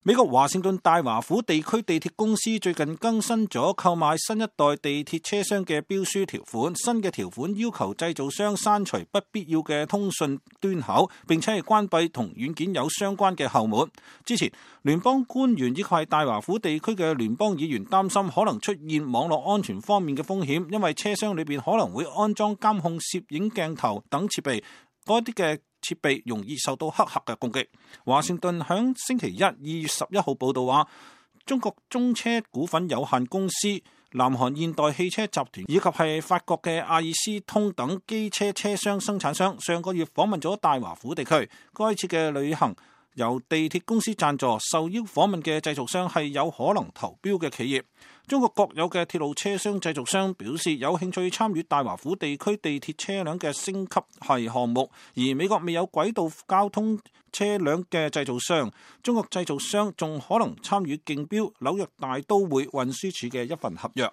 美國華盛頓大華府地區地鐵公司最近更新咗購買新一代地鐵車廂嘅標書條款，新嘅條款要求製造商刪除不必要嘅通訊端口，並且係關閉同軟件有相關嘅後門。之前聯邦官員以及係大華府地區嘅聯邦議員擔心可能出現網絡安全方面嘅風險，因為車廂裏邊可能會安裝監控攝影鏡頭等設備，嗰啲嘅設備容易受到黑客嘅攻擊。華盛頓響星期一2月11號報道話，中國中車股份有限公司、南韓現代汽車集團以及係法國嘅阿爾斯通等機車車廂生產商上個月訪問咗大華府地區。該次嘅旅行由地鐵公司贊助，受邀訪問嘅製造商係有可能投標嘅企業。中國國有嘅鐵路車廂製造商表示有興趣參與大華府地區地鐵車輛嘅升級係項目，而美國未有軌道交通車輛嘅製造商，中國製造商仲可能參與競標紐約大都會運輸署嘅一份合約。